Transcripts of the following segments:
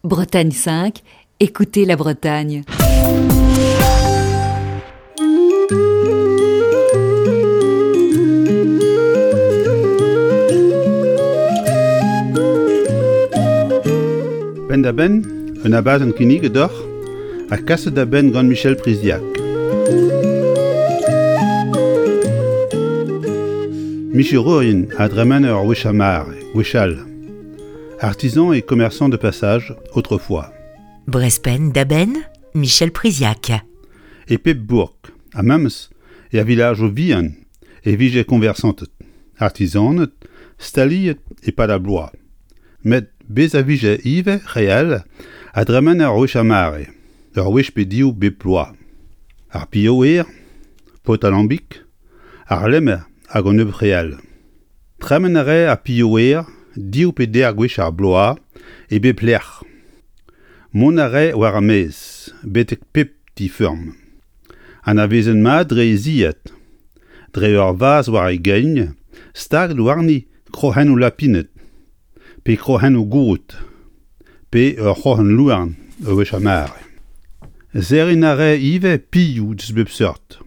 Bretagne 5, écoutez la Bretagne. Penn-da-benn, un abadenn kinniget deoc'h ha kaset da benn gant Michel Priziac. Micherourien a dremene ur wech ar mare, gwechall. Artisans et commerçants de passage autrefois. Brespenn da benn, Michel Priziac. E pep bourk, ha memes er vilajoù vihan e vije koñversanted, artizaned staliet e-pad ar bloaz. Met bez' a vije ivez re all a dremene ur wech ar mare, ur wech pe div bep bloaz. Ar pilhaouer, paotr alambig, ar lemmer hag an nebeud re all. Tremen a rae ar pilhaouer div pe deir gwech ar bloaz e bep lec'h. Mont a rae war ar maez betek pep ti-feurm. Anavezet mat dre e zilhad, dre ur vazh war e gein staget warni kroc'hennoù lapined pe kroc'hennoù god pe ur c'hroc'hen louarn ur wech ar mare. Serriñ a rae ivez pilhoù deus bep seurt.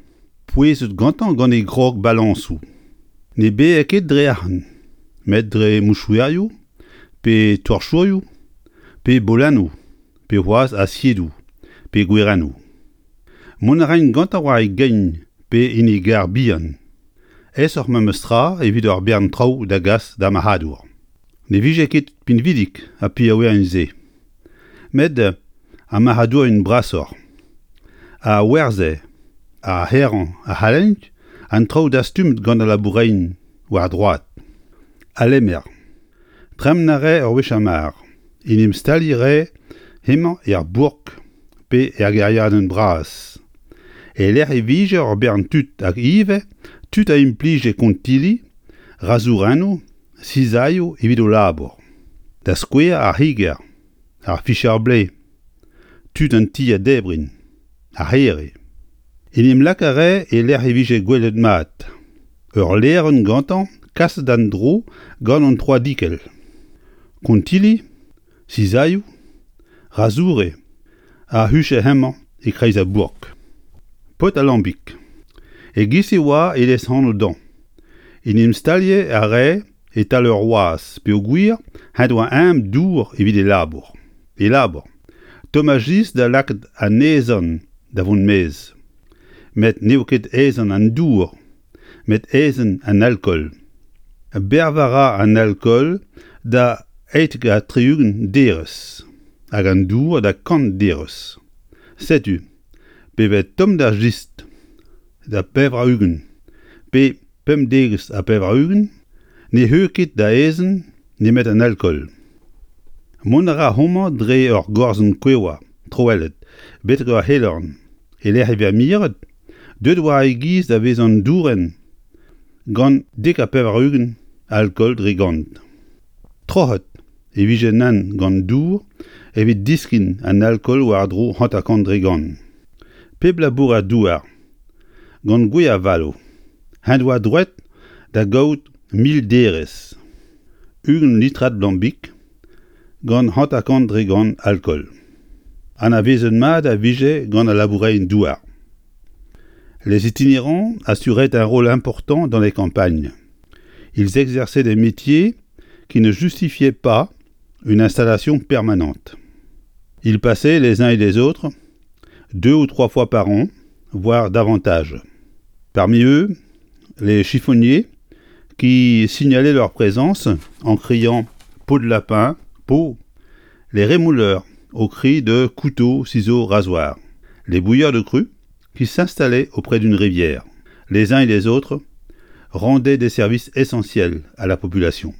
Pouezet gantañ gant e grog balañsoù. Ne baee ket dre arc'hant, met dre mouchouerioù, pe torchourioù, pe bolennoù, pe c'hoazh asiedoù, pe gwerennoù. Mont a raent gantañ war e gein pe en e garr bihan. Aesoc'h memes tra evit ur bern traoù da gas d'ar marc'hadour. Ne vije ket pinvidik ar pillaouerien-se. Met ar marc'hadourien brasoc'h a werzhe ar c'herañ a c'hallent an traoù dastumet gant al laboureien war droad. Al lemmer. Tremen a rae ur wech ar mar. En em staliñ a rae hemañ er bourk pe er gêriadenn bras. E-lec'h e vije ur bern tud hag ivez tud a implije kontilli, razourennoù, sizailhoù evit o labour. Da skouer ar c'higer, ar ficher-blez, tud an ti a debrin, ar c'here. En em lak a rae e-lec'h e vije gwelet mat. Ur lêrenn gantañ kaset d'an dro gant an troadikell. Kontilli, sizailhoù, razoure a huche hemañ e-kreiz ar bourk. Paotr al lambig. E-giz e oa e lesanv dezhañ. En em staliañ a rae e-tal ur wazh peogwir en doa eñ dour evit e labour. E labour. Tomm a jis da lakaat anezhañ da vont maez. Met n'eo ket aezhenn an dour, met aezhenn an alkool. Berv a ra an alkool da 78 derez hag an dour da 100 derez. Setu, pe vez tomm d'ar jistr da 80 pe 95, ne c'heu ket da aezhenn nemet an alkool. Mont a ra homañ dre ur gorzenn kouevr troellet betek ur c'helorn e-lec'h e vez miret, deuet war e giz da vezañ dourenn gant 90 alkool dre gant. Troc'het e vije nann gant dour evit diskin an alkool war-dro 50 dre gant. Pep labourer-douar gant gwez avaloù en doa droed da gaout 1000 derez, 20 litrad lambig gant 50 dre gant alkool. Anavezet mat a vije gant al laboureien-douar. Les itinérants assuraient un rôle important dans les campagnes. Ils exerçaient des métiers qui ne justifiaient pas une installation permanente. Ils passaient les uns et les autres deux ou trois fois par an, voire davantage. Parmi eux, les chiffonniers qui signalaient leur présence en criant peau de lapin, peau, les rémouleurs au cri de couteau, ciseaux, rasoir, les bouilleurs de cru qui s'installaient auprès d'une rivière. Les uns et les autres rendaient des services essentiels à la population.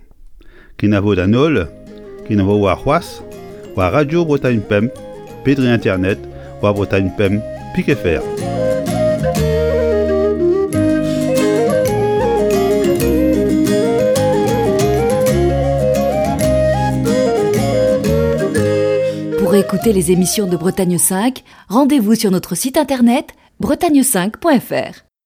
Kenavo d'an holl, kenavo warc'hoazh, war Radio Bretagne Pemp pe dre internet war Bretagne Pemp pik fr. Pour écouter les émissions de Bretagne 5, rendez-vous sur notre site internet bretagne5.fr.